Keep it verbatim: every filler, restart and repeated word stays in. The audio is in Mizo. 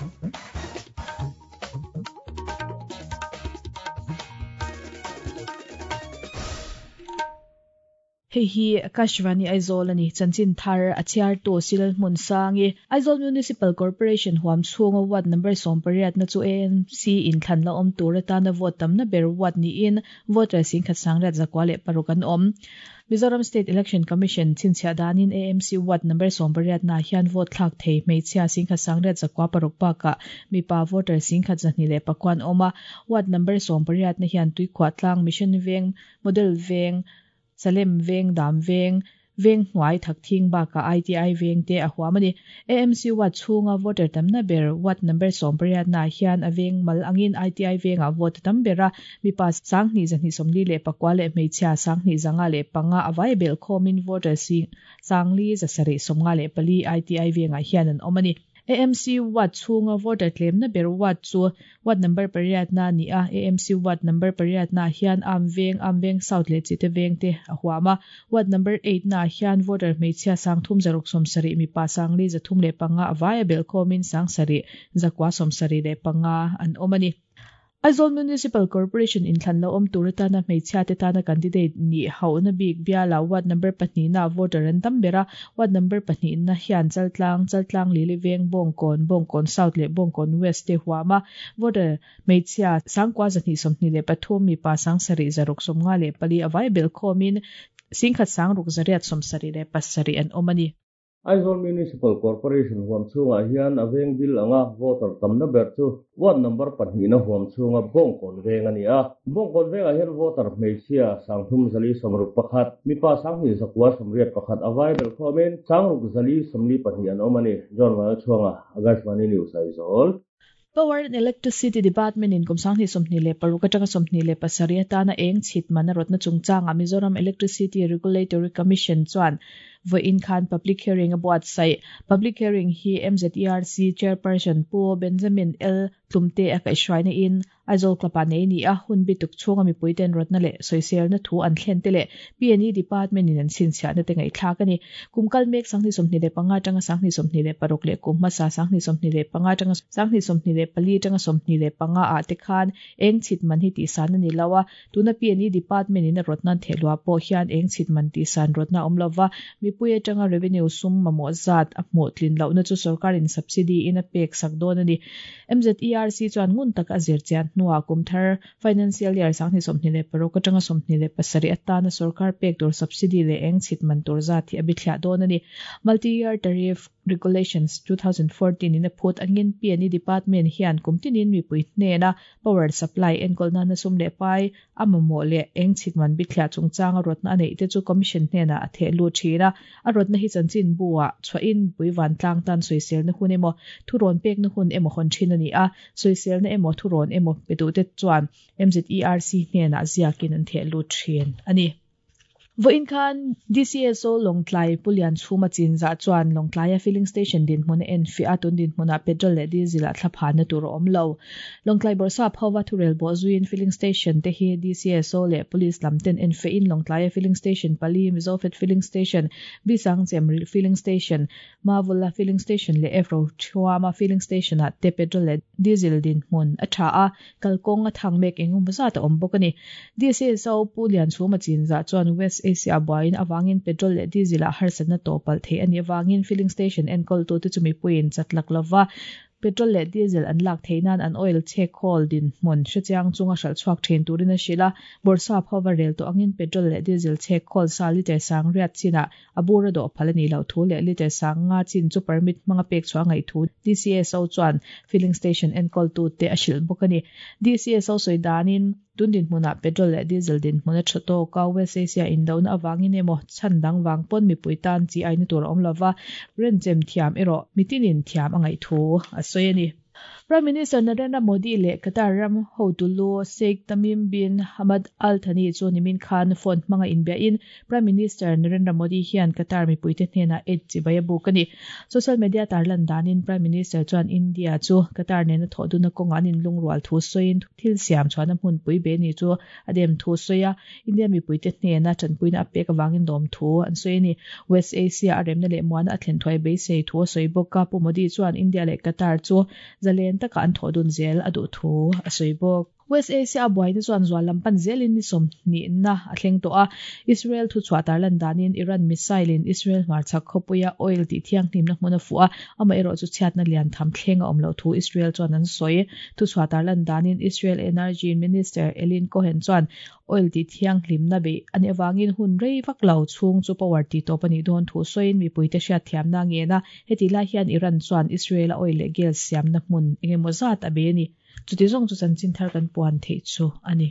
Hei hi Akashvani Aizawl ani chanchin thar a chhiar tu Silal hmun sangi Aizawl Municipal Corporation huam chhunga ward number sawm pariat na chu A M C in thlan la awm tur atana vote tamna ber ward niin voter sing khat sangriat zakwa leh paruk an awm. Mizoram State Election Commission chinchhia danin A M C ward number sawm pariat na hian vote thlak thei hmeichhia sing khat sangriat zakwa paruk baka mipa voter sing khat zahni leh pakwan awma ward number sawm pariat na hian tuikhua tlang Mission Veng Model Veng Salem Veng Dam Veng Veng hnuai thak thing baka I T I Veng te a huamani A M C ward chhunga voter tamna ber ward number sawm pariat na hian a veng mal angin I T I Venga vote tam bera mipa sanghni zahni sawmli leh pakwa leh hmeichhia sanghni zanga leh panga awai bel khomin voter sing sangli zasarih sawmnga leh pali I T I Venga hian an awmani. A M C ward chhunga voter tlemna ber ward chu ward number pariat na ni a A M C ward number pariat na hian am veng am veng south leh chite veng te a huama ward number eight na hian voter hmeichhia sangthum zaruk sawmsarih mipa sangli zathum leh panga awai bel khomin sangsarih zakwa sawmsarih leh panga an awmani. Aizawl Municipal Corporation in thlan lo awm tur atana hmeichhia te tana candidate ni hauna bik biala ward number pahnih na voter an tam bera ward number pahnih na hian chaltlang chaltlang lili veng bongkon bongkon south leh bongkon west te huama voter hmeichhia sangkwa zahnih sawmhnih leh pathum mipa sangsarih zaruk sawmnga leh pali awai bel khomin singkhat sangruk zariat sawmsarih leh pasarih an awmani. Aizawl Municipal Corporation huam chhungah hian a veng bil anga voter tamna ber chu ward number pahnih na huam chhunga Bongkawn Veng ani a. Bongkawn Vengah hian voter hmeichhia sangthum zali sawmruk pakhat mipa sanghnih zakua sawmriat pakhat awai bel khomin sangruk zali sawmli pahnih an awm ani. John Vanlalchhuanga, Akashvani News, Aizawl. Power and Electricity Department in kumsangni somni le paruk atanga somni le pasarih atana eng chhit man a rawtna chungchanga Mizoram Electricity Regulatory Commission chuan voin khan public hearing a buatsaih. Public hearing hi M Z E R C chairperson Pu Benjamin L Tlumte a kaihhruaina in Aizawl Club-ah nei ni a hun bituk chhunga mipuiten rawtna leh sawiselna thu an thlen te leh P and E Department in an chhinchhiahna te ngaihthlak ani. Kumkal mek sanghni sawmhnih leh panga atanga sanghni sawmhnih leh paruk leh kum hmasa sanghni sawmhnih leh panga atanga sanghni sawmhnih leh pali atanga sawmhnih leh panga ah te khan eng chhit man hi tihsan ani lo a. Tuna P and E Department in a rawtna an thehlua pawh hian eng chhit man tihsan rawtna awm lova mipui atanga revenue sum mamawh zat a hmuh tlin lohna chu sarkarin subsidy in a pek sak dawn ani. M Z E R C chuan ngun tak a zir chian hnuah kumthar financial year sanghni sawmhnih leh paruk atanga sawmhnih leh pasarih atana sarkar pek tur subsidy leh eng chhit man tur zat hi a bithliah dawn ani. Multi-year tariff regulations two thousand fourteen in a phut angin P and E Department hian kumtinin mipui hnena power supply enkawl nana sum leh pai a mamawh leh eng chhit man bithliah chungchanga rawtna a neih te chu commission hnena a theh lut thin a. A rawtna hi chanchin buah chhuahin pui van tlang tan sawiselna hun emaw thu rawn pekna hun emaw hawn thin ani a. Sawiselna emaw thu rawn emaw pe te chuan M Z E R C hnena ziakin an theh lut thin ani. Voin khan D C S O Lawngtlai Pulian chhuma chinza chuan Lawngtlaia filling station din hmun en fi atun din hmuna petrol leh diesel a thlaphan na tur awm lo. Lawngtlai Bawrhsap phawa thurel bo zuin filling station te hi D C S O leh police lamten en fe in Lawngtlaia filling station pali Mizofet filling station Bisangchem filling station Mavula filling station leh Efro Thuama filling station a te petrol leh diesel din hmun a tha a kalkawng a thang mek engum zat a awm bawk ani. D C S O Pulian chhuma chinza chuan West Asia buain awangin petrol leh diesel a harsatna topal thei ani awangin filling station enkawl tu te chumi puin chatlak lova petrol leh diesel an lak theinan an oil chek khawl din hmun hrechiang chunga hral chhuak thin turin a hrila. Bawrhsap phawa rel to angin petrol leh diesel chek khawl sa liter sang riat china a bura do phal ani lo thu leh liter sang nga chin chu permit hmanga pek chhuah ngai thu D C S O chuan filling station enkawl tu te a hril bawk ani. D C S O sawi danin tundin hmuna petrol leh diesel din hmuna thato ka West Asia indona awangin emaw chhandang wang pon mipui tan chi aina tur awm lova renchem thiam erawh mitinin thiam angai thu a sawi ani. Prime Minister Narendra Modi le Qatar ram hotulu Sheikh Tamim bin Hamad Al Thani chu nimin khan phone hmanga inbia in Prime Minister Narendra Modi hian Qatar mipuite hnena et chibaya buk ani. Social media tarlan danin Prime Minister chuan India chu Qatar nena thoduna kawng an in lungrual thu soin thil siam chuan a hmun pui be ni chu adem thu soya India mipuite hnena chanpuina apek awangin dawm thu an soini West Asia aremna le muana a thlen thuai beisei thu soi bawka Pu Modi chuan India le Qatar chu zalen taka an thodun zel adu thu a soi bawk. West Asia buaina chuan zual lampan zelin ni som ni na a thleng to a Israel thu chhuah tarlan danin Iran missile in Israel hmarchhak khawpuia oil tih thianghlim na hmun a fuh a ama erawh chu chhiatna lian tham thleng a awm lo thu Israel chuan an sawi thu chhuah tarlan danin Israel Energy Minister Elin Cohen chuan oil tih thianghlim na bei ani awangin hun rei vak lo chhung chu power ti tawp ani dawn thu sawiin mipuite hriat thiamna nge na heti lai hian Iran chuan Israel a oil leh gas siamna hmun engemaw zat a be ni. Chuti zawng chu chanchin thar kan puan theih chu ani.